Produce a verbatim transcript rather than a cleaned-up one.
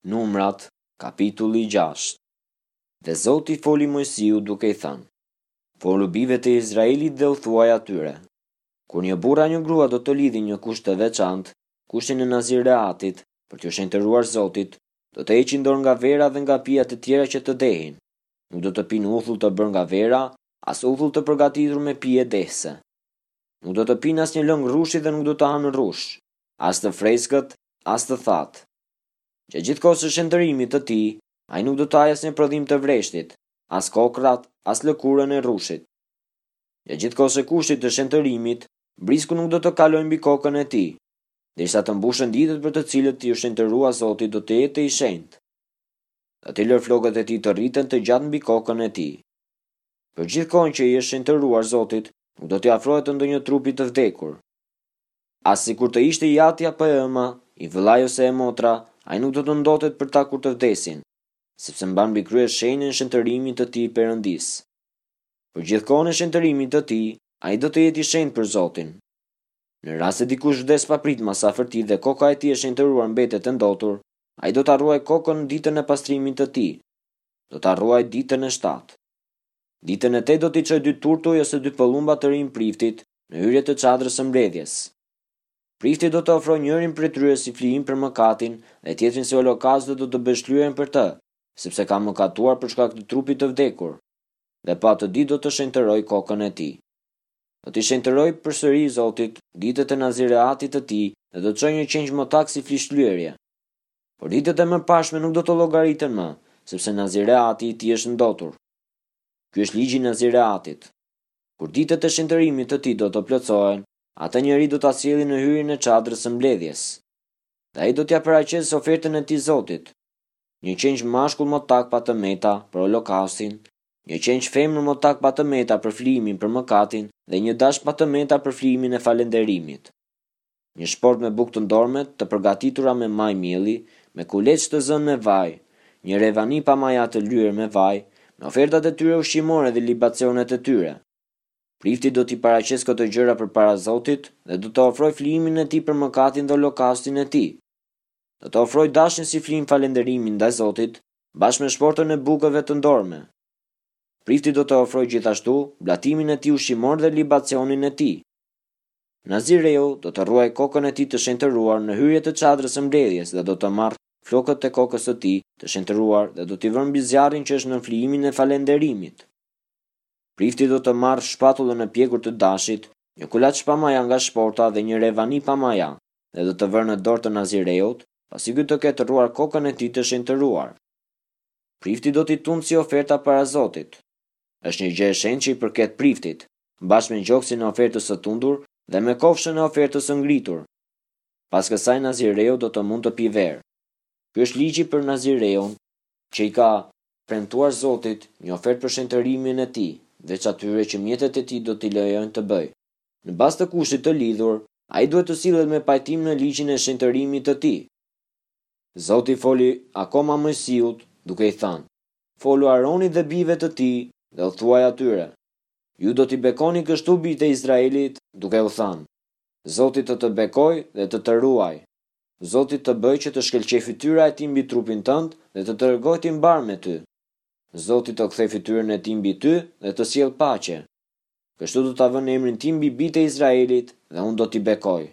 Numrat, kapitulli gjashtë. Dhe Zoti foli Moisiut duke i thënë: Folu bijve të Izraelit dhe u thuaj atyre: Kur një burrë a një grua do të lidhin një kusht të veçantë, kushtin e Nazireatit, për t'ju shenjtëruar Zotit, do të heqin dorë nga vera dhe nga pijet e tjera që të dehin. Nuk do të pinë uthull të bërë nga vera, as uthull të përgatitur me pije dehëse. Nuk do të pinë asnjë lëng rrushi dhe nuk do të hanë rrush, as të freskët, as të thatë. Gjatë gjithë kohës së shenjtërimit të tij, ai nuk do të hajë asnjë prodhim të vreshtit, as kokrrat, as lëkurën e rrushit. Gjatë gjithë kohës së kushtit të shenjtërimit, brisku nuk do të kalojë mbi kokën e tij, derisa të mbushen ditët për të cilët iu shenjtërua Zotit do të jetë i shenjtë. Do t'i lërë flokët e tij të rriten të gjatë mbi kokën e tij. Për gjithë kohën që i është shenjtëruar Zotit, nuk do t'i afrohet të ndonjë trupi të vdekur. As sikur të ishte i ati apo e ëma, i vëllai ose e motra, ai nuk do të ndotet për ta kur të vdesin, sepse mban mbi krye shenjën e shenjtërimit të tij Perëndisë. Për gjithë kohën e shenjtërimit të tij, ai do të jetë i shenjtë për Zotin. Në rast se dikush vdes papritmas afër tij dhe koka e tij e shenjtëruar mbetet e ndotur, ai do ta rruajë kokën ditën e pastrimit të tij. Do ta rruajë ditën e shtatë. Ditën e tetë do t'i çojë dy turtuj ose dy pëllumba të rinj priftit në hyrje të çadrës së mbledhjes. Prifti do të ofrojë njërin prej tyre si flijim për mëkatin dhe tjetrin si holokaust dhe do të bëjë shlyerjen për të, sepse ka mëkatuar për shkak të trupit të vdekur. Dhe po atë ditë do të shenjtërojë kokën e tij. Do t'i shenjtërojë përsëri Zotit ditët e Nazireatit të tij dhe do të çojë një qengj motak si flijshlyerje. Por ditët e mëparshme nuk do të llogariten më, sepse Nazireati i tij është ndotur. Ky është ligji i Nazireatit. Kur ditët e shenjtërimit të tij do të plotësohen, atë njeri do ta sjellin në hyrjen e çadrës së mbledhjes. Dhe ai do t'ia paraqesë ofertën e tij Zotit: një qengj mashkull motak pa të meta për holokaustin, një qengj femër motak pa të meta për flijimin për mëkatin dhe një dash pa të meta për flijimin e falënderimit. Një shport me bukë të ndorme, të përgatitura me maj mielli, me kuleç të zënë me vaj, një revani pa maja të lyer me vaj, me ofertat e tyre ushqimore dhe libacionet e tyre. Prifti do t'i paraqesë këto gjëra përpara Zotit dhe do të ofrojë flijimin e tij për mëkatin dhe holokaustin e tij. Do të ofrojë dashin si flijim falënderimi ndaj Zotit, bashkë me shportën e bukëve të ndorme. Prifti do të ofrojë gjithashtu blatimin e tij ushqimor dhe libacionin e tij. Nazireu do të rruajë kokën e tij të shenjtëruar në hyrje të çadrës së mbledhjes dhe do të marrë flokët e kokës së tij të shenjtëruar dhe do t'i vërë mbi zjarrin që është në flijimin e falënderimit. Prifti do të marrë shpatullën e pjekur të dashit, një kulaç pa maja nga shporta dhe një revani pa maja, dhe do të vërë në dorë të Nazireut, pasi ky të ketë rruar kokën e tij të shenjtëruar. Prifti do t'i tundë si oferta para Zotit. Është një gjë e shenjtë që i përket priftit, bashkë me gjoksin e ofertës së tundur dhe me kofshën e ofertës së ngritur. Pas kësaj Nazireu do të mund të pijë verë. Ky është ligji për Nazireun, që i ka premtuar Zotit një ofertë për shenjtërimin e tij, veç atyre që mjetet e tij do t'i lejojnë të bëjë. Në bazë të kushtit të lidhur, ai duhet të sillet me pajtim në ligjin e shenjtërimit të tij. Zoti foli akoma Moisiut, duke i thënë: Folu Aronit dhe bijve të tij dhe u thuaj atyre: Ju do t'i bekoni kështu bijtë e Izraelit, duke u thënë: Zoti të të bekoj dhe të të ruaj. Zoti të bëj që të shkëlqej fytyra e tij mbi trupin tënd dhe të tregoj ti mbar me ty. Zoti të kthej fytyrën e tij mbi ty dhe të sjell paqe. Kështu do ta vënë emrin tim mbi bijtë e Izraelit dhe unë do t'i bekoj.